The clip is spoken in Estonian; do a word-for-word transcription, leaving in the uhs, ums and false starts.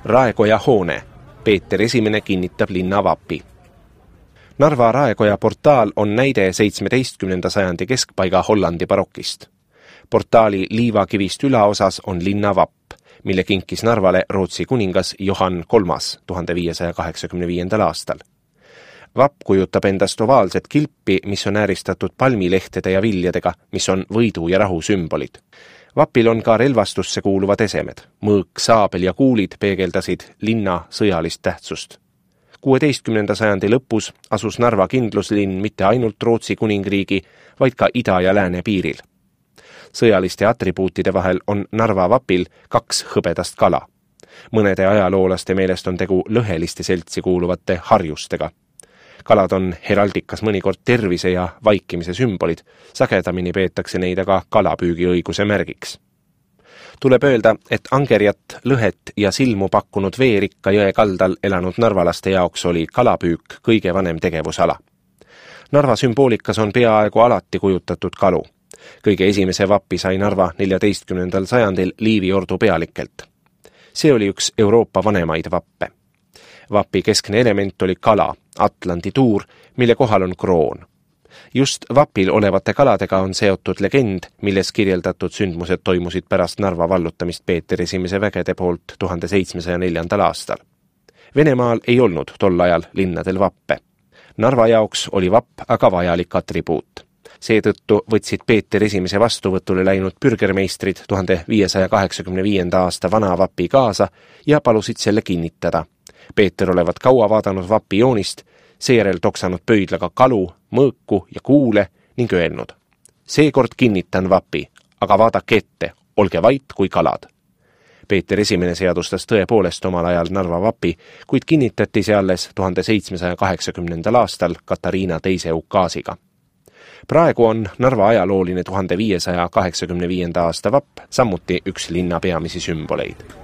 Raekoja hoone. Peeter Esimene kinnitab linna vapi. Narva Raekoja portaal on näide seitsmeteistkümnenda sajandi keskpaiga Hollandi barokist. Portaali liivakivist ülaosas on linna vapp, mille kinkis Narvale Rootsi kuningas Johann kolmas tuhande viiesaja kaheksakümne viiendal aastal. Vapp kujutab endast ovaalset kilpi, mis on ääristatud palmilehtede ja viljadega, mis on võidu ja rahu sümbolid. Vapil on ka relvastusse kuuluvad esemed. Mõõk, saabel ja kuulid peegeldasid linna sõjalist tähtsust. kuueteistkümnenda sajandi lõpus asus Narva kindluslinn mitte ainult Rootsi kuningriigi, vaid ka ida- ja lääne piiril. Sõjaliste atribuutide vahel on Narva vapil kaks hõbedast kala. Mõnede ajaloolaste meelest on tegu lõheliste seltsi kuuluvate harjustega. Kalad on heraldikas mõnikord tervise ja vaikimise sümbolid, sagedamini peetakse neid aga kalapüügiõiguse märgiks. Tuleb öelda, et angerjat, lõhet ja silmu pakkunud veerikka jõe kaldal elanud narvalaste jaoks oli kalapüük kõige vanem tegevusala. Narva sümboolikas on peaaegu alati kujutatud kalu. Kõige esimese vapi sai Narva neljateistkümnendal sajandil Liivi ordu pealikelt. See oli üks Euroopa vanemaid vappe. Vapi keskne element oli kala, Atlandi tuur, mille kohal on kroon. Just vapil olevate kaladega on seotud legend, milles kirjeldatud sündmused toimusid pärast Narva vallutamist Peeter Esimese vägede poolt tuhande seitsmesaja neljandal aastal. Venemaal ei olnud tol ajal linnadel vappe. Narva jaoks oli vapp aga vajalik atribuut. Seetõttu võtsid Peeter Esimese vastuvõtule läinud pürgermeistrid tuhande viiesaja kaheksakümne viienda aasta vana vapi kaasa ja palusid selle kinnitada. Peeter olevat kaua vaadanud vapi joonist, seejärel toksanud pöidlaga kalu, mõõku ja kuule ning öelnud: seekord kinnitan vapi, aga vaadake ette, olge vait kui kalad. Peeter Esimene seadustas tõepoolest omal ajal Narva vapi, kuid kinnitati see alles tuhande seitsmesaja kaheksakümnendal aastal Katariina teise ukaasiga. Praegu on Narva ajalooline tuhande viiesaja kaheksakümne viienda aasta vapp samuti üks linna peamisi sümboleid.